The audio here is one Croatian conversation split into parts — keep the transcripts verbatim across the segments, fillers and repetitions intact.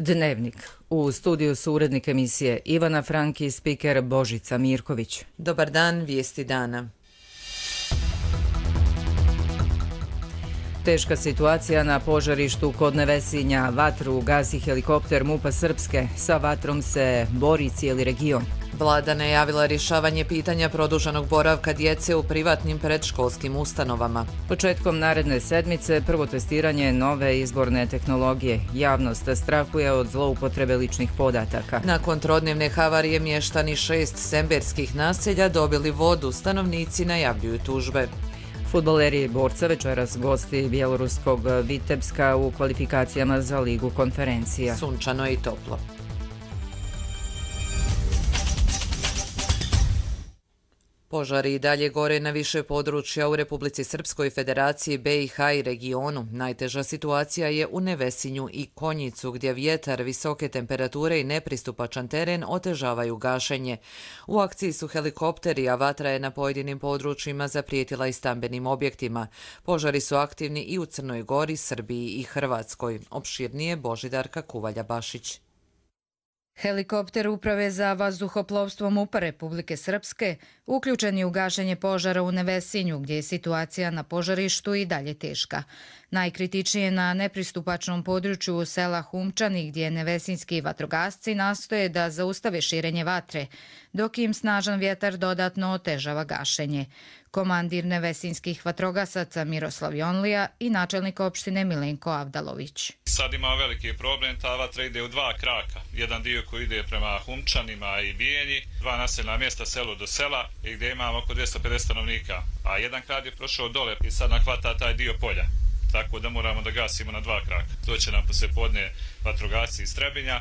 Dnevnik. U studiju su urednik emisije Ivana Franki i spiker Božica Mirković. Dobar dan, vijesti dana. Teška situacija na požarištu kod Nevesinja. Vatru gasi helikopter MUP-a Srpske. Sa vatrom se bori cijeli region. Vlada najavila rješavanje pitanja produženog boravka djece u privatnim predškolskim ustanovama. Početkom naredne sedmice prvo testiranje nove izborne tehnologije. Javnost strahuje od zloupotrebe ličnih podataka. Nakon trodnevne havarije mještani šest semberskih naselja dobili vodu, stanovnici najavljuju tužbe. Fudbaleri Borca večeras gosti bjeloruskog Vitebska u kvalifikacijama za Ligu konferencija. Sunčano i toplo. Požari i dalje gore na više područja u Republici Srpskoj, Federaciji be i ha i regionu. Najteža situacija je u Nevesinju i Konjicu, gdje vjetar, visoke temperature i nepristupačan teren otežavaju gašenje. U akciji su helikopteri, a vatra je na pojedinim područjima zaprijetila i stambenim objektima. Požari su aktivni i u Crnoj Gori, Srbiji i Hrvatskoj. Opširnije Božidarka Kuvalja-Bašić. Helikopter Uprave za vazduhoplovstvo MUP-a Republike Srpske uključen je u gašenje požara u Nevesinju, gdje je situacija na požarištu i dalje teška. Najkritičnije na nepristupačnom području sela Humčani, gdje nevesinski vatrogasci nastoje da zaustave širenje vatre, dok im snažan vjetar dodatno otežava gašenje. Komandir nevesinskih vatrogasaca Miroslav Jonlija i načelnik opštine Milenko Avdalović. Sad ima veliki problem, ta vatra ide u dva kraka. Jedan dio koji ide prema Humčanima i Bijenji, dva naseljena mjesta selo do sela i gdje imamo oko dvjesto pedeset stanovnika. A jedan krak je prošao dole i sad nakvata taj dio polja. Tako da moramo da gasimo na dva kraka. To će nam poslijepodne vatrogasci iz Trebinja.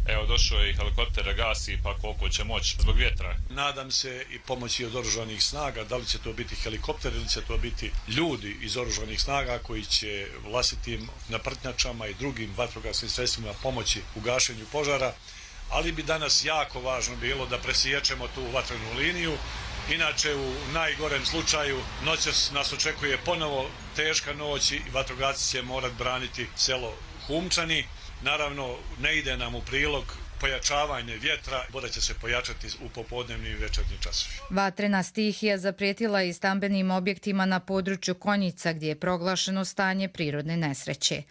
Evo, došao je i helikopter da gasi, pa koliko će moći zbog vjetra. Nadam se i pomoći od oružanih snaga, da li će to biti helikopter ili će to biti ljudi iz oružanih snaga koji će vlastitim naprtnjačama i drugim vatrogasnim sredstvima pomoći u gašenju požara. Ali bi danas jako važno bilo da presiječemo tu vatrenu liniju. Inače, u najgorem slučaju noćas nas očekuje ponovo teška noć i vatrogasci će morat braniti selo Humčani. Naravno, ne ide nam u prilog pojačavanje vjetra, voda će se pojačati u popodnevnim i večernjim časovima. Vatrena stihija zaprijetila i stambenim objektima na području Konjica, gdje je proglašeno stanje prirodne nesreće.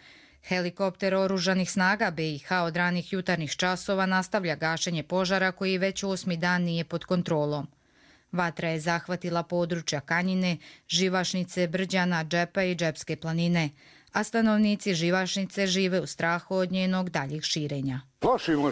Helikopter oružanih snaga be i ha od ranih jutarnjih časova nastavlja gašenje požara koji već osmi dan nije pod kontrolom. Vatra je zahvatila područja Kanjine, Živašnice, Brđana, Džepa i Džepske planine, a stanovnici Živašnice žive u strahu od njenog daljih širenja. Plašimo,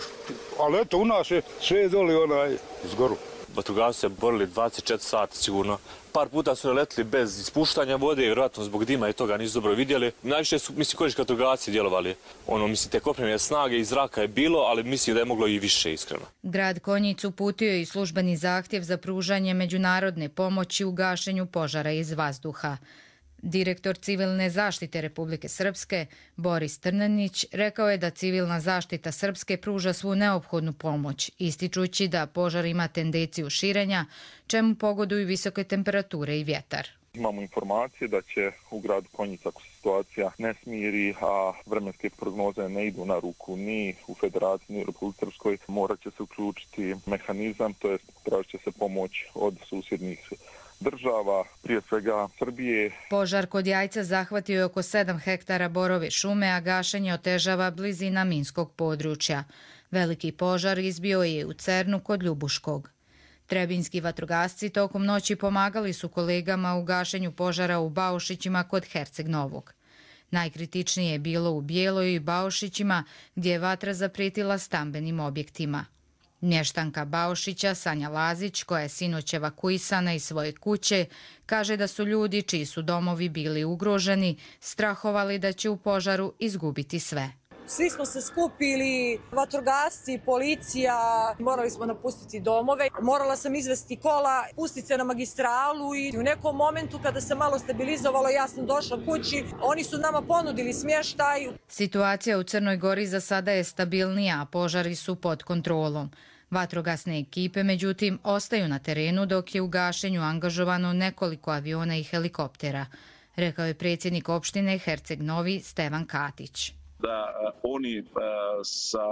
ali eto u nas je sve doli onaj zgoru. Vatrogasci se borili dvadeset četiri sata sigurno. Par puta su letili bez ispuštanja vode, vjerojatno zbog dima i toga nisu dobro vidjeli. Najviše su, mislim, koji vatrogasci djelovali. Ono, mislim, te kopnene snage iz zraka je bilo, ali mislim da je moglo i više, iskreno. Grad Konjic uputio je i službeni zahtjev za pružanje međunarodne pomoći u gašenju požara iz vazduha. Direktor civilne zaštite Republike Srpske, Boris Trnenić, rekao je da civilna zaštita Srpske pruža svu neophodnu pomoć, ističući da požar ima tendenciju širenja, čemu pogoduju visoke temperature i vjetar. Imamo informacije da će u gradu Konjic, ako se situacija ne smiri, a vremenske prognoze ne idu na ruku ni u Federaciji, ni u Republici Srpskoj, morat će se uključiti mehanizam, to jest tražit će se pomoć od susjednih država, prije svega Srbije. Požar kod Jajca zahvatio je oko sedam hektara borove šume, a gašenje otežava blizina minskog područja. Veliki požar izbio je u Cernu kod Ljubuškog. Trebinjski vatrogasci tokom noći pomagali su kolegama u gašenju požara u Baušićima kod Herceg Novog. Najkritičnije je bilo u Bijeloj i Baušićima, gdje je vatra zaprijetila stambenim objektima. Mještanka Baušića, Sanja Lazić, koja je sinoć evakuisana iz svoje kuće, kaže da su ljudi čiji su domovi bili ugroženi strahovali da će u požaru izgubiti sve. Svi smo se skupili, vatrogasci, policija, morali smo napustiti domove. Morala sam izvesti kola, pustiti se na magistralu i u nekom momentu kada se malo stabilizovalo, ja sam došla kući, oni su nama ponudili smještaj. Situacija u Crnoj Gori za sada je stabilnija, a požari su pod kontrolom. Vatrogasne ekipe, međutim, ostaju na terenu dok je u gašenju angažovano nekoliko aviona i helikoptera, rekao je predsjednik opštine Herceg Novi Stevan Katić. da oni sa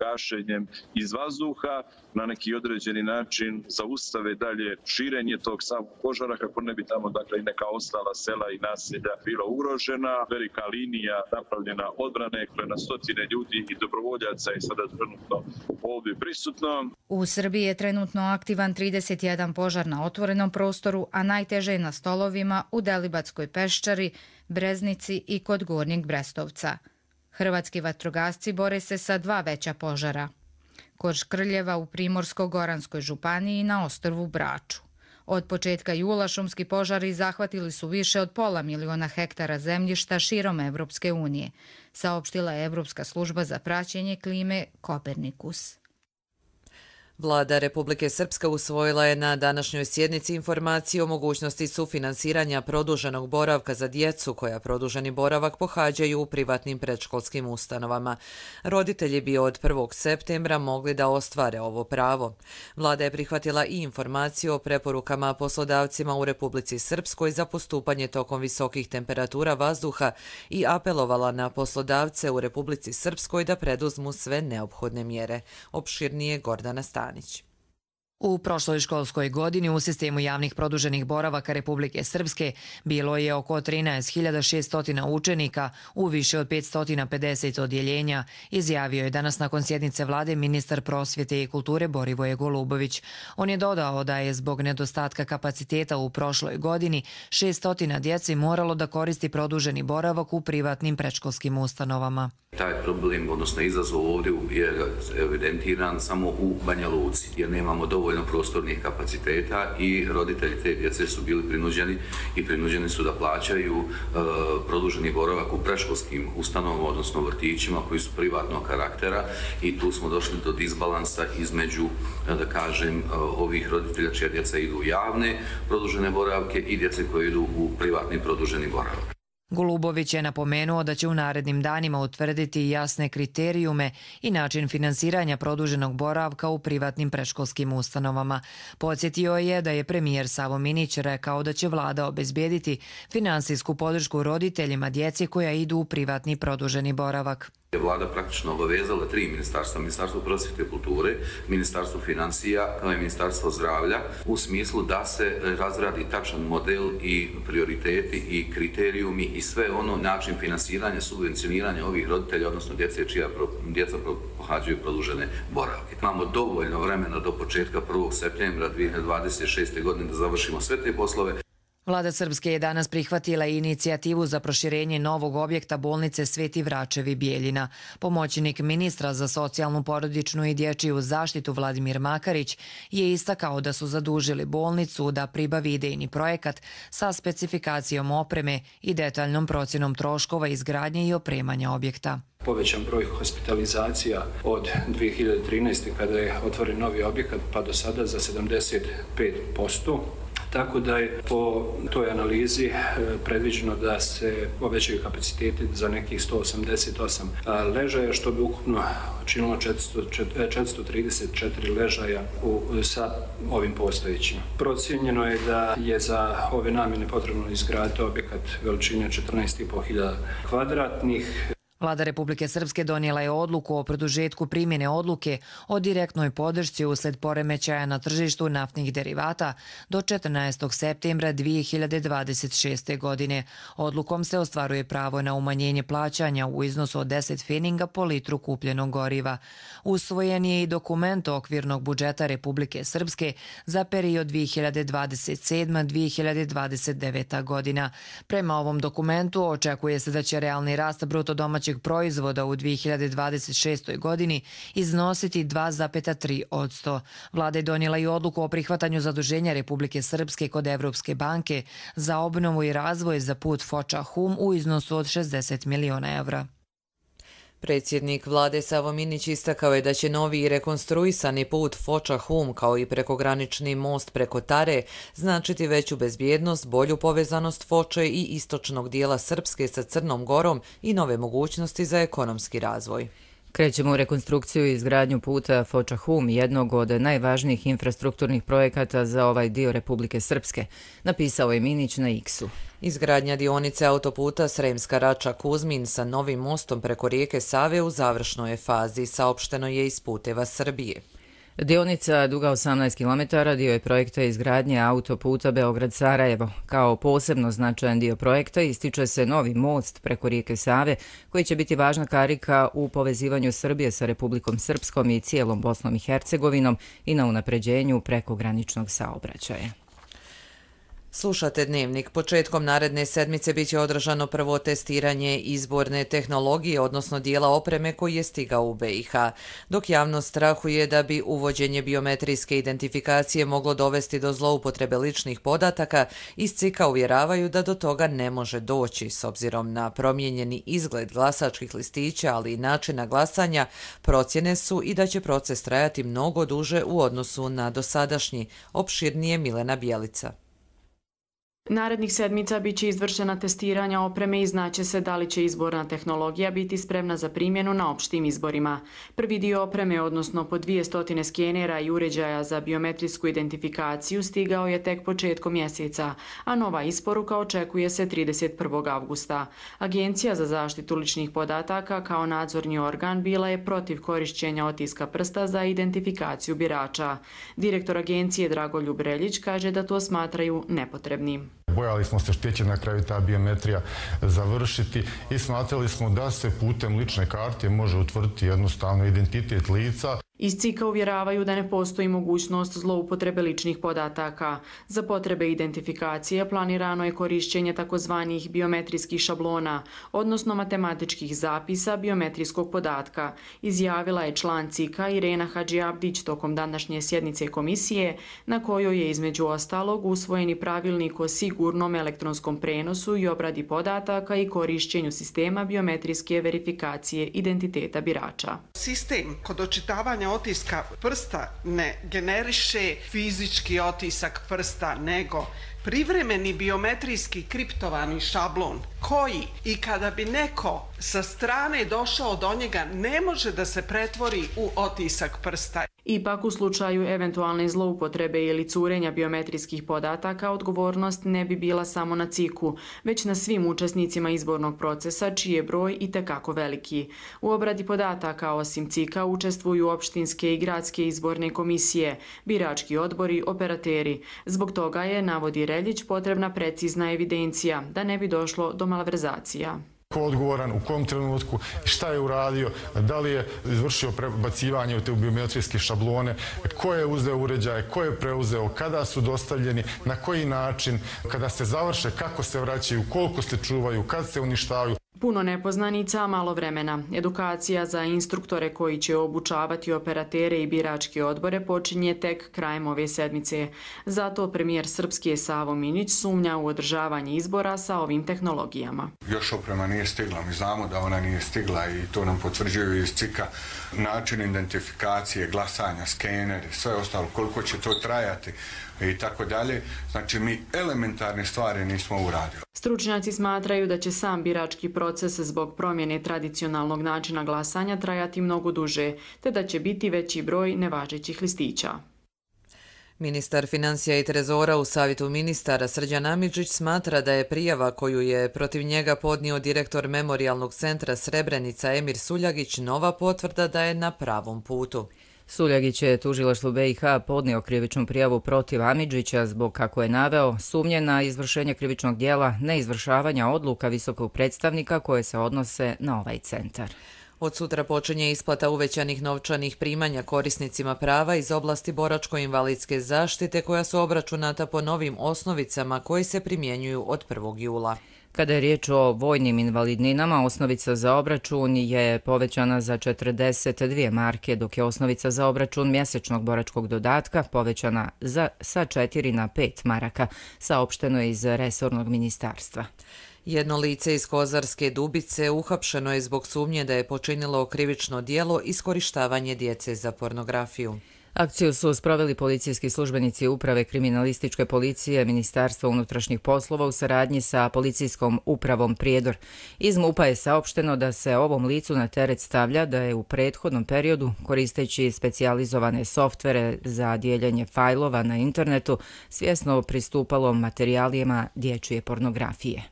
gašenjem iz vazduha na neki određeni način zaustave dalje širenje tog samog požara kako ne bi tamo dakle i neka ostala sela i naselja bila ugrožena. Velika linija napravljena odbrane koja na stotine ljudi i dobrovoljaca je sada trenutno ovdje prisutno. U Srbiji je trenutno aktivan trideset jedan požar na otvorenom prostoru, a najteže je na Stolovima, u Delibatskoj peščari, Breznici i kod Gornjeg Brestovca. Hrvatski vatrogasci bore se sa dva veća požara. Kod Škrljeva u Primorsko-Goranskoj županiji i na ostrvu Braču. Od početka jula šumski požari zahvatili su više od pola miliona hektara zemljišta širom Evropske unije, saopštila je Evropska služba za praćenje klime Kopernikus. Vlada Republike Srpske usvojila je na današnjoj sjednici informaciju o mogućnosti sufinansiranja produženog boravka za djecu koja produženi boravak pohađaju u privatnim predškolskim ustanovama. Roditelji bi od prvog septembra mogli da ostvare ovo pravo. Vlada je prihvatila i informaciju o preporukama poslodavcima u Republici Srpskoj za postupanje tokom visokih temperatura vazduha i apelovala na poslodavce u Republici Srpskoj da preduzmu sve neophodne mjere. Opširnije Gordana Stanić. U prošloj školskoj godini u sistemu javnih produženih boravaka Republike Srpske bilo je oko trinaest hiljada šeststo učenika u više od petsto pedeset odjeljenja, izjavio je danas nakon sjednice vlade ministar prosvjete i kulture Borivoje Golubović. On je dodao da je zbog nedostatka kapaciteta u prošloj godini šeststo djeci moralo da koristi produženi boravak u privatnim predškolskim ustanovama. Taj problem, odnosno izazov ovdje je evidentiran samo u Banja Luci, jer nemamo dovoljno prostornih kapaciteta i roditelji te djece su bili prinuđeni i prinuđeni su da plaćaju e, produženi boravak u predškolskim ustanovama, odnosno vrtićima koji su privatnog karaktera i tu smo došli do disbalansa između, da kažem, ovih roditelja čija djeca idu u javne produžene boravke i djece koje idu u privatni produženi boravak. Golubović je napomenuo da će u narednim danima utvrditi jasne kriterijume i način finansiranja produženog boravka u privatnim predškolskim ustanovama. Podsjetio je da je premijer Savo Minić rekao da će vlada obezbijediti finansijsku podršku roditeljima djeci koja idu u privatni produženi boravak. Vlada praktično obavezala tri ministarstva, Ministarstvo prosvjete i kulture, Ministarstvo financija kao i Ministarstvo zdravlja u smislu da se razradi tačan model i prioriteti i kriterijumi i sve ono način finansiranja, subvencioniranja ovih roditelja, odnosno djece čija djeca pohađaju produžene boravke. Imamo dovoljno vremena do početka prvog septembra dvije hiljade dvadeset šeste. godine da završimo sve te poslove. Vlada Srpske je danas prihvatila inicijativu za proširenje novog objekta bolnice Sveti Vračevi Bijeljina. Pomoćnik ministra za socijalnu, porodičnu i dječju zaštitu Vladimir Makarić je istakao da su zadužili bolnicu da pribavi idejni projekat sa specifikacijom opreme i detaljnom procjenom troškova izgradnje i opremanja objekta. Povećan broj hospitalizacija od dvije hiljade trinaeste. kada je otvoren novi objekat pa do sada za sedamdeset pet posto. Tako da je po toj analizi predviđeno da se povećaju kapaciteti za nekih sto osamdeset osam ležaja, što bi ukupno činilo četiristo trideset četiri ležaja u, sa ovim postojećim. Procijenjeno je da je za ove namjene potrebno izgraditi objekat veličine četrnaest i po hiljada kvadratnih. Vlada Republike Srpske donijela je odluku o produžetku primjene odluke o direktnoj podršci usled poremećaja na tržištu naftnih derivata do četrnaestog septembra dvije hiljade dvadeset šeste. godine. Odlukom se ostvaruje pravo na umanjenje plaćanja u iznosu od deset feninga po litru kupljenog goriva. Usvojen je i dokument okvirnog budžeta Republike Srpske za period dvije hiljade dvadeset sedma do dvije hiljade dvadeset deveta. godina. Prema ovom dokumentu očekuje se da će realni rast bruto domaćeg proizvoda u dvije hiljade dvadeset šestoj. godini iznositi dva zarez tri posto. Vlada je donijela i odluku o prihvatanju zaduženja Republike Srpske kod Evropske banke za obnovu i razvoj za put Foča-Hum u iznosu od šezdeset miliona evra. Predsjednik vlade Savo Minić istakao je da će novi i rekonstruisani put Foča-Hum kao i prekogranični most preko Tare značiti veću bezbjednost, bolju povezanost Foče i istočnog dijela Srpske sa Crnom Gorom i nove mogućnosti za ekonomski razvoj. Krećemo u rekonstrukciju i izgradnju puta Foča-Hum, jednog od najvažnijih infrastrukturnih projekata za ovaj dio Republike Srpske, napisao je Minić na X-u. Izgradnja dionice autoputa Sremska Rača-Kuzmin sa novim mostom preko rijeke Save u završnoj je fazi, saopšteno je iz Puteva Srbije. Dionica duga osamnaest kilometara dio je projekta izgradnje autoputa Beograd-Sarajevo. Kao posebno značajan dio projekta ističe se novi most preko rijeke Save, koji će biti važna karika u povezivanju Srbije sa Republikom Srpskom i cijelom Bosnom i Hercegovinom i na unapređenju prekograničnog saobraćaja. Slušate Dnevnik. Početkom naredne sedmice biće održano prvo testiranje izborne tehnologije, odnosno dijela opreme koji je stigao u B i H. Dok javnost strahuje da bi uvođenje biometrijske identifikacije moglo dovesti do zloupotrebe ličnih podataka, iz C I K-a uvjeravaju da do toga ne može doći. S obzirom na promijenjeni izgled glasačkih listića, ali i načina glasanja, procjene su i da će proces trajati mnogo duže u odnosu na dosadašnji. Opširnije Milena Bjelica. Narednih sedmica biće izvršena testiranja opreme i znaće se da li će izborna tehnologija biti spremna za primjenu na opštim izborima. Prvi dio opreme, odnosno po dvije stotine skenera i uređaja za biometrijsku identifikaciju, stigao je tek početkom mjeseca, a nova isporuka očekuje se trideset prvog avgusta. Agencija za zaštitu ličnih podataka kao nadzorni organ bila je protiv korišćenja otiska prsta za identifikaciju birača. Direktor agencije Dragoljub Reljić kaže da to smatraju nepotrebnim. Bojali smo se što će na kraju ta biometrija završiti i smatrali smo da se putem lične karte može utvrditi jednostavno identitet lica. Iz C I K-a uvjeravaju da ne postoji mogućnost zloupotrebe ličnih podataka. Za potrebe identifikacije planirano je korišćenje takozvanih biometrijskih šablona, odnosno matematičkih zapisa biometrijskog podatka, izjavila je član C I K-a Irena Hadžiabdić tokom današnje sjednice komisije, na kojoj je između ostalog usvojeni pravilnik o sigurnom elektronskom prenosu i obradi podataka i korišćenju sistema biometrijske verifikacije identiteta birača. Sistem kod očitavanja otiska prsta ne generiše fizički otisak prsta, nego privremeni biometrijski kriptovani šablon koji i kada bi neko sa strane došao do njega ne može da se pretvori u otisak prsta. Ipak u slučaju eventualne zloupotrebe ili curenja biometrijskih podataka odgovornost ne bi bila samo na C I K-u, već na svim učesnicima izbornog procesa čiji je broj itekako veliki. U obradi podataka osim C I K-a učestvuju opštinske i gradske izborne komisije, birački odbori, operateri. Zbog toga je, navodi Reljić, potrebna precizna evidencija da ne bi došlo do malverzacija. Ko je odgovoran, u kom trenutku, šta je uradio, da li je izvršio prebacivanje u te biometrijske šablone, ko je uzeo uređaje, ko je preuzeo, kada su dostavljeni, na koji način, kada se završe, kako se vraćaju, koliko se čuvaju, kad se uništavaju. Puno nepoznanica, malo vremena. Edukacija za instruktore koji će obučavati operatere i biračke odbore počinje tek krajem ove sedmice. Zato premijer Srpske Savo Minić sumnja u održavanje izbora sa ovim tehnologijama. Još oprema nije stigla, mi znamo da ona nije stigla i to nam potvrđuju iz C I K-a. Način identifikacije, glasanja, skeneri, sve ostalo, koliko će to trajati i tako dalje. Znači mi elementarne stvari nismo uradili. Stručnjaci smatraju da će sam birački proces zbog promjene tradicionalnog načina glasanja trajati mnogo duže, te da će biti veći broj nevažećih listića. Ministar financija i trezora u savjetu ministara Srđan Amidžić smatra da je prijava koju je protiv njega podnio direktor Memorijalnog centra Srebrenica Emir Suljagić nova potvrda da je na pravom putu. Suljagić je tužilaštvu B i H podnio krivičnu prijavu protiv Amidžića zbog, kako je naveo, sumnje na izvršenje krivičnog dijela neizvršavanja odluka visokog predstavnika koje se odnose na ovaj centar. Od sutra počinje isplata uvećanih novčanih primanja korisnicima prava iz oblasti boračko-invalidske zaštite koja su obračunata po novim osnovicama koji se primjenjuju od prvog jula. Kada je riječ o vojnim invalidninama, osnovica za obračun je povećana za četrdeset dvije marke, dok je osnovica za obračun mjesečnog boračkog dodatka povećana za, sa četiri na pet maraka, saopšteno je iz resornog ministarstva. Jedno lice iz Kozarske Dubice uhapšeno je zbog sumnje da je počinilo krivično djelo iskorištavanje djece za pornografiju. Akciju su sproveli policijski službenici Uprave kriminalističke policije Ministarstva unutrašnjih poslova u saradnji sa policijskom upravom Prijedor. Iz MUP-a je saopšteno da se ovom licu na teret stavlja da je u prethodnom periodu, koristeći specijalizovane softvere za dijeljenje fajlova na internetu, svjesno pristupalo materijalima dječje pornografije.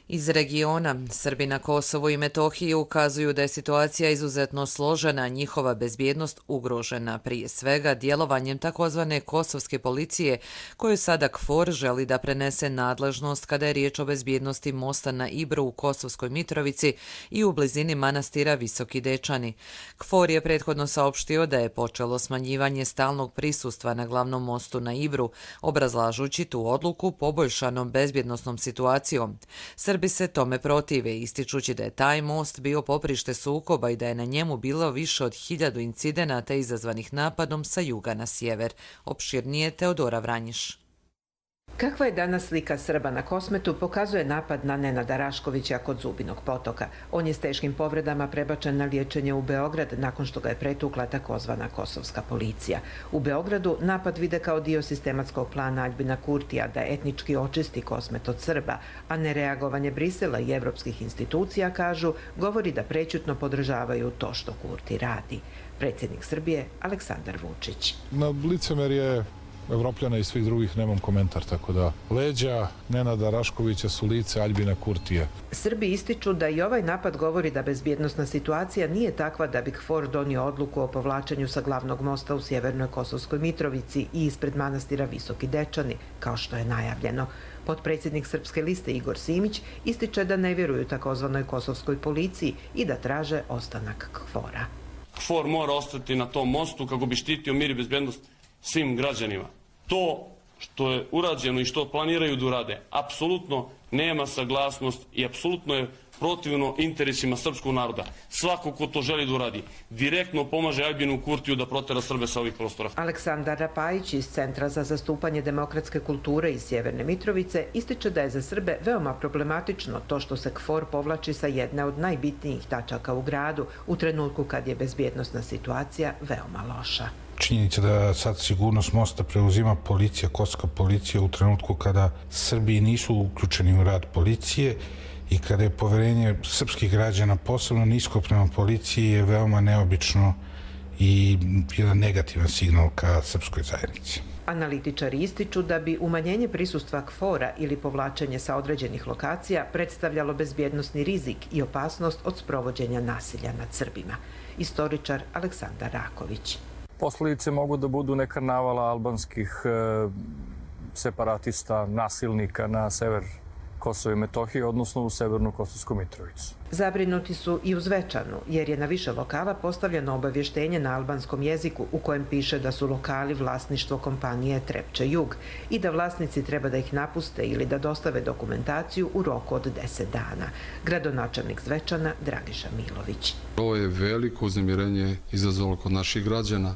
Iz regiona, Srbi na Kosovu i Metohiji ukazuju da je situacija izuzetno složena, njihova bezbjednost ugrožena, prije svega djelovanjem takozvane kosovske policije, koju sada KFOR želi da prenese nadležnost kada je riječ o bezbjednosti mosta na Ibru u Kosovskoj Mitrovici i u blizini manastira Visoki Dečani. KFOR je prethodno saopštio da je počelo smanjivanje stalnog prisustva na glavnom mostu na Ibru, obrazlažući tu odluku poboljšanom bezbjednosnom situacijom. Srbi se tome protive, ističući da je taj most bio poprište sukoba i da je na njemu bilo više od hiljadu incidenata izazvanih napadom sa juga na sjever. Opširnije Teodora Vranjiš. Kakva je danas slika Srba na Kosmetu pokazuje napad na Nenada Raškovića kod Zubinog potoka. On je s teškim povredama prebačen na liječenje u Beograd nakon što ga je pretukla takozvana kosovska policija. U Beogradu napad vide kao dio sistematskog plana Aljbina Kurtija da etnički očisti Kosmet od Srba, a nereagovanje Brisela i evropskih institucija, kažu, govori da prećutno podržavaju to što Kurti radi. Predsjednik Srbije Aleksandar Vučić. Na licemerje Evropljana i svih drugih nemam komentar, tako da leđa Nenada Raškovića su lice Aljbina Kurtija. Srbi ističu da i ovaj napad govori da bezbjednosna situacija nije takva da bi KFOR donio odluku o povlačenju sa glavnog mosta u sjevernoj Kosovskoj Mitrovici i ispred manastira Visoki Dečani, kao što je najavljeno. Potpredsjednik Srpske liste Igor Simić ističe da ne vjeruju takozvanoj kosovskoj policiji i da traže ostanak KFOR-a. KFOR mora ostati na tom mostu kako bi štitio mir i bezbjednost svim građanima. To što je urađeno i što planiraju da urade, apsolutno nema saglasnost i apsolutno je protivno interesima srpskog naroda. Svako ko to želi da uradi, direktno pomaže Aljbinu Kurtiju da protera Srbe sa ovih prostora. Aleksandar Rapajić iz Centra za zastupanje demokratske kulture iz Sjeverne Mitrovice ističe da je za Srbe veoma problematično to što se KFOR povlači sa jedne od najbitnijih tačaka u gradu u trenutku kad je bezbjednosna situacija veoma loša. Činjenica da sad sigurnost mosta preuzima policija, kosovska policija u trenutku kada Srbi nisu uključeni u rad policije i kada je poverenje srpskih građana posebno nisko prema policiji je veoma neobično i jedan negativan signal ka srpskoj zajednici. Analitičari ističu da bi umanjenje prisustva KFOR-a ili povlačenje sa određenih lokacija predstavljalo bezbjednosni rizik i opasnost od sprovođenja nasilja nad Srbima. Istoričar Aleksandar Raković. Posljedice mogu da budu neka navala albanskih e, separatista, nasilnika na sever Kosova i Metohije, odnosno u severnu Kosovsku Mitrovicu. Zabrinuti su i u Zvečanu, jer je na više lokala postavljeno obavještenje na albanskom jeziku u kojem piše da su lokali vlasništvo kompanije Trepče Jug i da vlasnici treba da ih napuste ili da dostave dokumentaciju u roku od deset dana. Gradonačelnik Zvečana Dragiša Milović. Ovo je veliko uznemirenje izazvalo kod naših građana.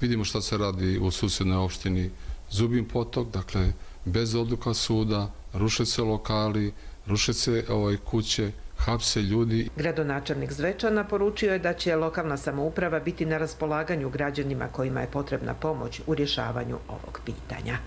Vidimo šta se radi u susjednoj opštini Zubin potok, dakle bez odluka suda, ruše se lokali, ruše se ovaj, kuće, hapse ljudi. Gradonačelnik Zvečana poručio je da će lokalna samouprava biti na raspolaganju građanima kojima je potrebna pomoć u rješavanju ovog pitanja.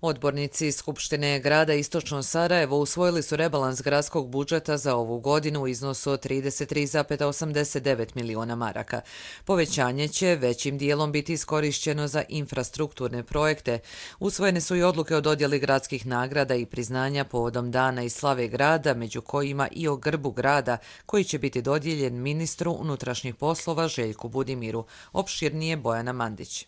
Odbornici Skupštine grada Istočno Sarajevo usvojili su rebalans gradskog budžeta za ovu godinu u iznosu od trideset tri zarez osamdeset devet miliona maraka. Povećanje će većim dijelom biti iskorišćeno za infrastrukturne projekte. Usvojene su i odluke o dodjeli gradskih nagrada i priznanja povodom dana i slave grada, među kojima i o grbu grada, koji će biti dodijeljen ministru unutrašnjih poslova Željku Budimiru. Opširnije Bojana Mandić.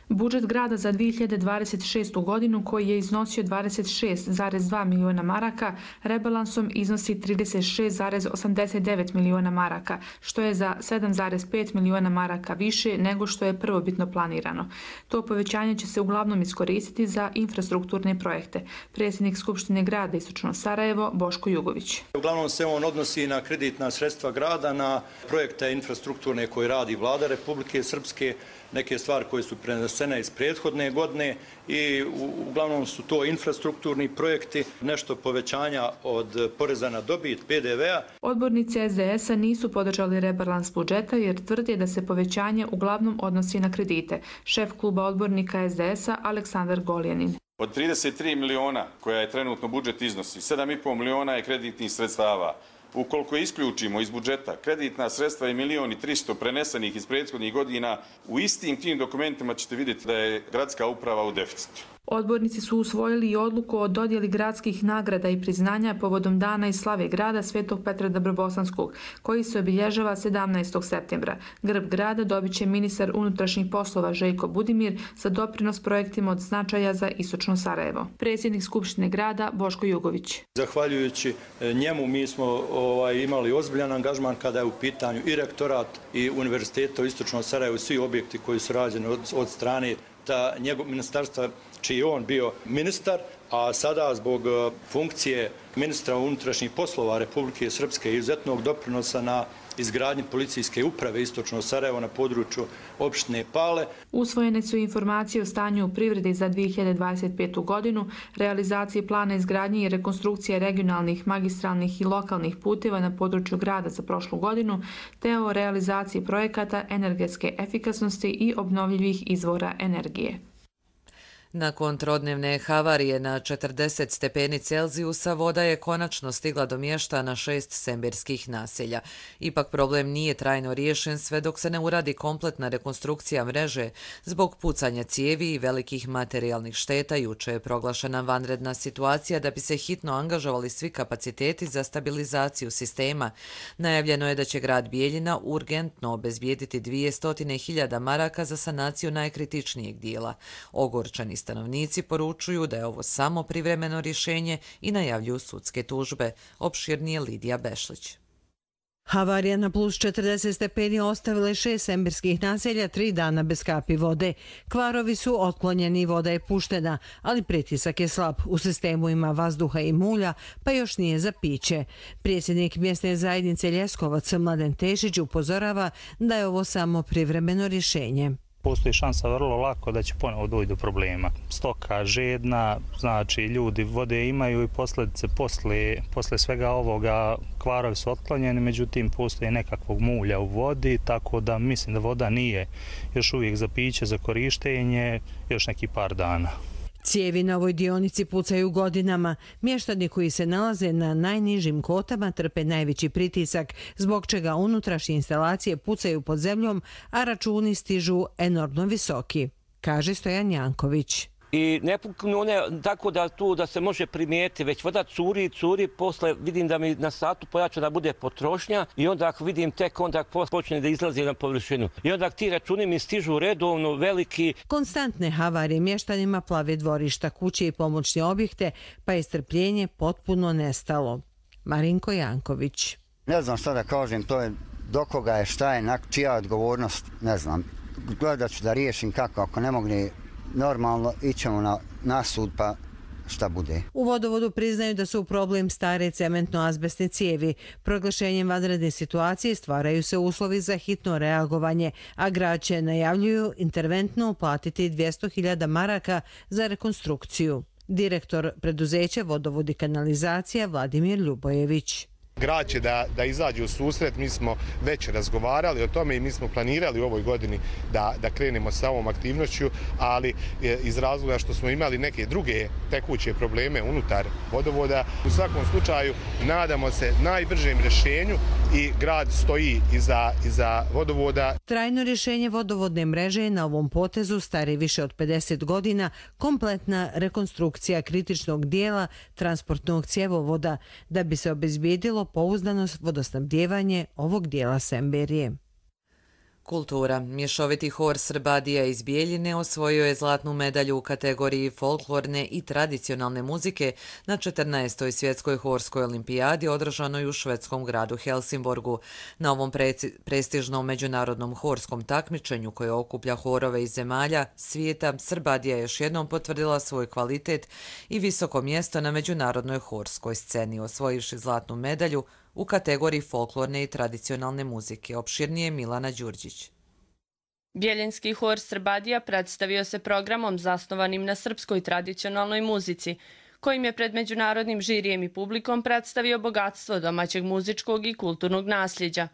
Budžet grada za dvije hiljade dvadeset šestu godinu, koji je iznosio dvadeset šest zarez dva miliona maraka, rebalansom iznosi trideset šest zarez osamdeset devet miliona maraka, što je za sedam zarez pet miliona maraka više nego što je prvobitno planirano. To povećanje će se uglavnom iskoristiti za infrastrukturne projekte. Predsjednik Skupštine grada Istočno Sarajevo Boško Jugović. Uglavnom se on odnosi na kreditna sredstva grada, na projekte infrastrukturne koje radi vlada Republike Srpske, neke stvari koje su prenesene prenesene iz prethodne godine i uglavnom su to infrastrukturni projekti, nešto povećanja od poreza na dobit, P D V-a. Odbornici S D S-a nisu podržali rebalans budžeta jer tvrde da se povećanje uglavnom odnosi na kredite. Šef kluba odbornika S D S-a Aleksandar Goljanin. Od trideset tri miliona koja je trenutno budžet iznosi, sedam i pol miliona je kreditnih sredstava. Ukoliko isključimo iz budžeta kreditna sredstva i milion i tristo prenesenih iz prethodnih godina, u istim tim dokumentima ćete vidjeti da je gradska uprava u deficitu. Odbornici su usvojili i odluku o dodjeli gradskih nagrada i priznanja povodom Dana i slave grada Svetog Petra Dobrobosanskog, koji se obilježava sedamnaestog septembra. Grb grada dobit će ministar unutrašnjih poslova Željko Budimir za doprinos projektima od značaja za istočno Sarajevo. Predsjednik Skupštine grada Boško Jugović. Zahvaljujući njemu mi smo ovaj, imali ozbiljan angažman kada je u pitanju i rektorat i univerziteta u istočnom Sarajevu, svi objekti koji su rađeni od, od strane ta njegov ministarstva čiji je on bio ministar, a sada zbog funkcije ministra unutrašnjih poslova Republike Srpske i izuzetnog doprinosa na izgradnji policijske uprave istočno Sarajevo na području opštine Pale. Usvojene su informacije o stanju u privredi za dvije hiljade dvadeset petu godinu, realizaciji plana izgradnje i rekonstrukcije regionalnih, magistralnih i lokalnih puteva na području grada za prošlu godinu, te o realizaciji projekata energetske efikasnosti i obnovljivih izvora energije. Nakon trodnevne havarije na četrdeset stepeni Celzijusa voda je konačno stigla do mještana šest semberskih naselja. Ipak problem nije trajno riješen sve dok se ne uradi kompletna rekonstrukcija mreže. Zbog pucanja cijevi i velikih materijalnih šteta juče je proglašena vanredna situacija da bi se hitno angažovali svi kapaciteti za stabilizaciju sistema. Najavljeno je da će grad Bijeljina urgentno obezbijediti dvjesto hiljada maraka za sanaciju najkritičnijeg dijela. Ogorčani stanovnici poručuju da je ovo samo privremeno rješenje i najavljuju sudske tužbe. Opširnije Lidija Bešlić. Havarija na plus četrdeset stepeni ostavila je šest semberskih naselja tri dana bez kapi vode. Kvarovi su otklonjeni i voda je puštena, ali pritisak je slab. U sistemu ima vazduha i mulja, pa još nije za piće. Predsjednik mjesne zajednice Ljeskovac Mladen Tešić upozorava da je ovo samo privremeno rješenje. Postoji šansa vrlo lako da će ponovo doći do problema. Stoka žedna, znači ljudi vode imaju i posljedice posle, posle svega ovoga kvarovi su otklonjeni, međutim postoji nekakvog mulja u vodi, tako da mislim da voda nije još uvijek za piće, za korištenje, još neki par dana. Cijevi na ovoj dionici pucaju godinama. Mještani koji se nalaze na najnižim kotama trpe najveći pritisak, zbog čega unutrašnje instalacije pucaju pod zemljom, a računi stižu enormno visoki, kaže Stojan Janković. I ne puknu one tako da tu da se može primijeti, već voda curi, curi, posle vidim da mi na satu pojača da bude potrošnja i onda ako vidim tek onda počne da izlazi na površinu. I onda ti računi mi stižu redovno veliki. Konstantne havarije mještanima plave dvorišta, kuće i pomoćne objekte, pa je strpljenje potpuno nestalo. Marinko Janković. Ne znam šta da kažem, to je do koga je, šta je, čija odgovornost, ne znam. Gledat ću da riješim kako, ako ne mogne normalno, ićemo na, na sud pa šta bude. U vodovodu priznaju da su problem stare cementno-azbestne cijevi. Proglašenjem vanredne situacije stvaraju se uslovi za hitno reagovanje, a grad će, najavljuju, interventno uplatiti dvjesto hiljada maraka za rekonstrukciju. Direktor preduzeća Vodovod i kanalizacija Vladimir Ljubojević. Grad će da, da izađe u susret, mi smo već razgovarali o tome i mi smo planirali u ovoj godini da, da krenemo sa ovom aktivnošću, ali iz razloga što smo imali neke druge tekuće probleme unutar vodovoda. U svakom slučaju nadamo se najbržem rješenju i grad stoji iza, iza vodovoda. Trajno rješenje vodovodne mreže je na ovom potezu stari više od pedeset godina, kompletna rekonstrukcija kritičnog dijela transportnog cjevovoda da bi se obezbijedilo pouzdano vodosnabdijevanje ovog dijela Semberije. Kultura. Mješoviti hor Srbadija iz Bijeljine osvojio je zlatnu medalju u kategoriji folklorne i tradicionalne muzike na četrnaestoj svjetskoj horskoj olimpijadi održanoj u švedskom gradu Helsingborgu. Na ovom prestižnom međunarodnom horskom takmičenju koje okuplja horove iz zemalja svijeta, Srbadija je još jednom potvrdila svoj kvalitet i visoko mjesto na međunarodnoj horskoj sceni, osvojivši zlatnu medalju u kategoriji folklorne i tradicionalne muzike. Opširnije Milana Đurđić. Bjeljinski hor Srbadija predstavio se programom zasnovanim na srpskoj tradicionalnoj muzici, kojim je pred međunarodnim žirijem i publikom predstavio bogatstvo domaćeg muzičkog i kulturnog nasljeđa.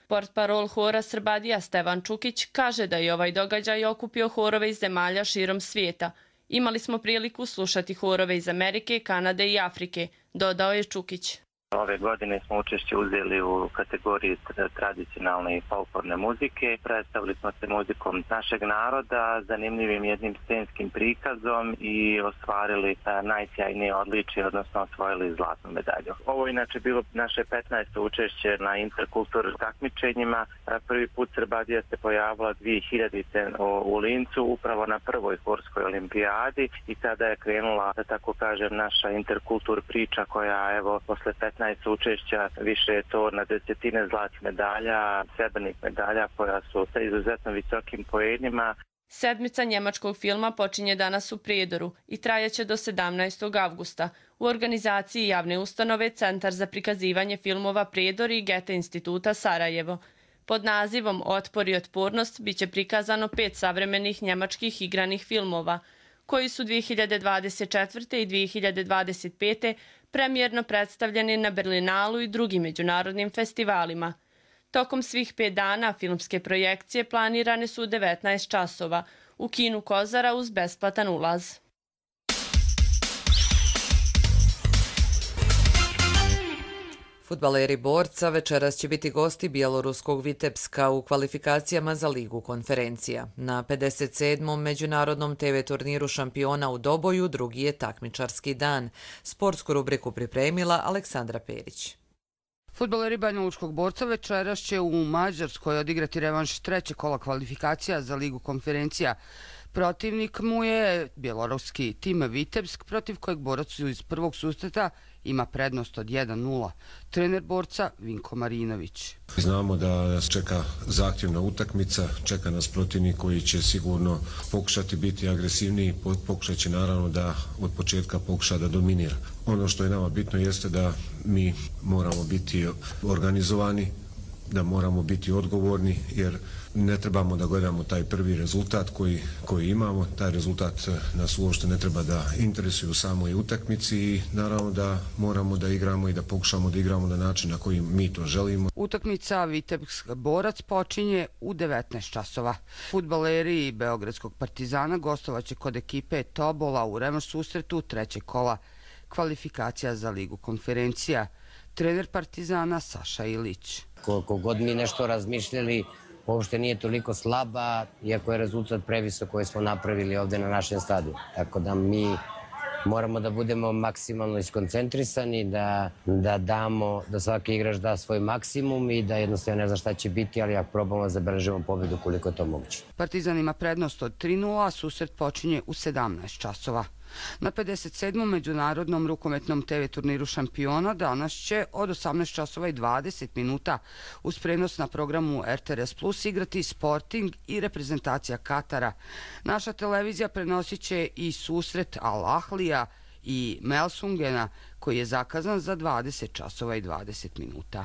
Portparol hora Srbadija Stevan Čukić kaže da je ovaj događaj okupio horove iz zemalja širom svijeta. Imali smo priliku slušati horove iz Amerike, Kanade i Afrike, dodao je Čukić. Ove godine smo učešće uzeli u kategoriji tradicionalne i folklorne muzike. Predstavili smo se muzikom našeg naroda, zanimljivim jednim scenskim prikazom i ostvarili najsjajnije odličje, odnosno osvojili zlatnu medalju. Ovo inače bilo naše petnaesto učešće na interkulturnim takmičenjima. Prvi put Srbadija se pojavila dvije hiljadite u Lincu, upravo na prvoj horskoj olimpijadi i tada je krenula, da tako kažem, naša interkultur priča koja evo posle petnaest učešća više je to na desetine zlatnih medalja, srebrnih medalja koja su sa izuzetno visokim poenima. Sedmica njemačkog filma počinje danas u Prijedoru i trajaće do sedamnaestog avgusta. U organizaciji javne ustanove Centar za prikazivanje filmova Prijedor i Goethe instituta Sarajevo. Pod nazivom Otpor i otpornost biće prikazano pet savremenih njemačkih igranih filmova, koji su dvije hiljade dvadeset četvrte i dvije hiljade dvadeset pete premijerno predstavljeni na Berlinalu i drugim međunarodnim festivalima. Tokom svih pet dana filmske projekcije planirane su u devetnaest časova u kinu Kozara uz besplatan ulaz. Fudbaleri Borca večeras će biti gosti bjeloruskog Vitebska u kvalifikacijama za Ligu konferencija. Na pedeset sedmom međunarodnom te ve turniru šampiona u Doboju drugi je takmičarski dan. Sportsku rubriku pripremila Aleksandra Perić. Fudbaleri Banjalučkog Borca večeras će u Mađarskoj odigrati revanš treće kola kvalifikacija za Ligu konferencija. Protivnik mu je bjeloruski tim Vitebsk, protiv kojeg borac iz prvog susreta ima prednost od jedan nula. Trener Borca Vinko Marinović. Znamo da nas čeka zahtjevna utakmica, čeka nas protivnik koji će sigurno pokušati biti agresivniji, pokušat će naravno da od početka pokuša da dominira. Ono što je nama bitno jeste da mi moramo biti organizovani, da moramo biti odgovorni, jer ne trebamo da gledamo taj prvi rezultat koji, koji imamo. Taj rezultat nas uopšte ne treba da interesuje u samoj utakmici i naravno da moramo da igramo i da pokušamo da igramo na način na koji mi to želimo. Utakmica Vitebsk Borac počinje u devetnaest časova. Fudbaleri Beogradskog Partizana gostovaće kod ekipe Tobola u revanš susretu trećeg kola kvalifikacija za Ligu konferencija. Trener Partizana Saša Ilić. Koliko god mi nešto razmišljali, uopšte nije toliko slaba, iako je rezultat previsok koji smo napravili ovde na našem stadionu. Tako da mi moramo da budemo maksimalno iskoncentrisani, da, da damo, da svaki igrač da svoj maksimum i da jednostavno ne zna šta će biti, ali ako probamo zabeležimo pobedu koliko je to moguće. Partizan ima prednost od tri nula, a susret počinje u sedamnaest časova. Na pedeset sedmom međunarodnom rukometnom te ve turniru šampiona danas će od osamnaest časova i dvadeset minuta uz prenos na programu er te er es plus igrati Sporting i reprezentacija Katara. Naša televizija prenosit će i susret Al Ahlija i Melsungena koji je zakazan za dvadeset časova i dvadeset minuta.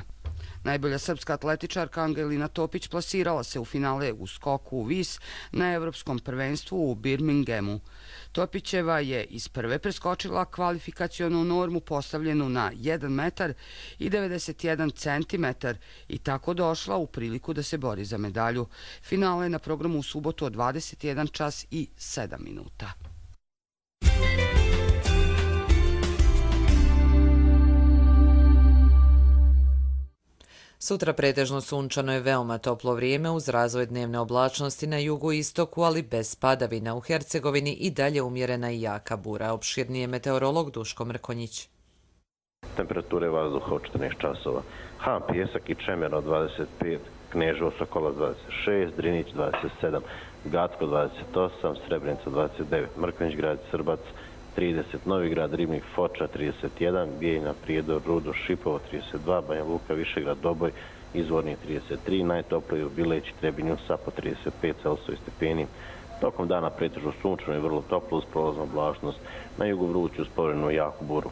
Najbolja srpska atletičarka Angelina Topić plasirala se u finale u skoku u vis na Evropskom prvenstvu u Birminghamu. Topićeva je iz prve preskočila kvalifikacionu normu postavljenu na jedan metar i devedeset jedan centimetar i tako došla u priliku da se bori za medalju. Finale je na programu u subotu od dvadeset jedan čas i sedam minuta. Sutra pretežno sunčano je veoma toplo vrijeme uz razvoj dnevne oblačnosti na jugu i istoku, ali bez padavina. U Hercegovini i dalje umjerena i jaka bura. Opširnije meteorolog Duško Mrkonjić. Temperature vazduha od četrnaest časova. Han, Pjesak i Čemer od dvadeset pet, Kneževo, Sokola dvadeset šest, Drinić dvadeset sedam, Gacko dvadeset osam, Srebrenica dvadeset devet, Mrkonjić grad, Srbac trideset, Novi grad, Ribnik, Foča trideset jedan, Bijeljina, Prijedor, Rudo, Šipovo trideset dva, Banja Luka, Višegrad, Doboj, Izvorni trideset tri, najtopliji u Bileći, Trebinju, Sapo trideset pet Celsijusa stepeni. Tokom dana pretežno sunčano i vrlo toplo uz prolaznu oblačnost, na jugu vruću uz povremenu jaku buru.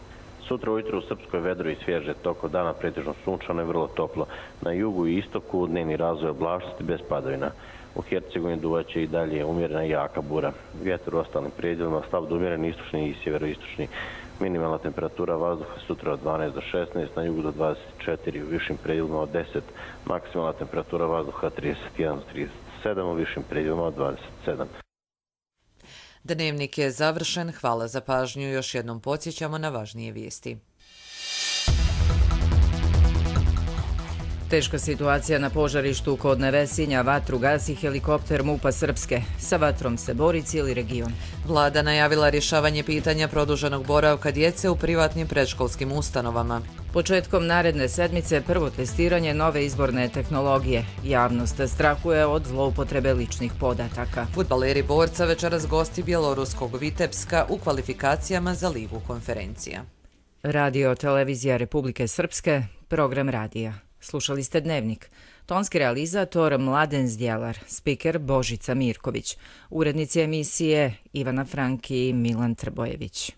Sutra ujutro u Srpskoj vedro i svježe toko dana, pretežno sunčano i vrlo toplo. Na jugu i istoku dnevni razvoj oblačnosti bez padavina. U Hercegovini duvaće i dalje umjerena i jaka bura. Vjetar u ostalim predjelima slab do umjeren istočni i sjeveroistočni. Minimalna temperatura vazduha sutra od dvanaest do šesnaest, na jugu do dvadeset četiri, u višim predjelima od deset. Maksimalna temperatura vazduha trideset jedan do trideset sedam, u višim predjelima od dvadeset sedam. Dnevnik je završen. Hvala za pažnju. Još jednom podsjećamo na važnije vijesti. Teška situacija na požarištu kod Nevesinja, vatru gasi helikopter MUP-a Srpske. Sa vatrom se bori cijeli region. Vlada najavila rješavanje pitanja produženog boravka djece u privatnim predškolskim ustanovama. Početkom naredne sedmice prvo testiranje nove izborne tehnologije. Javnost strahuje od zloupotrebe ličnih podataka. Fudbaleri Borca večeras gosti bjeloruskog Vitebska u kvalifikacijama za ligu konferencija. Radio Televizija Republike Srpske, program radija. Slušali ste Dnevnik. Tonski realizator Mladen Zdjelar, spiker Božica Mirković, urednici emisije Ivana Franki i Milan Trbojević.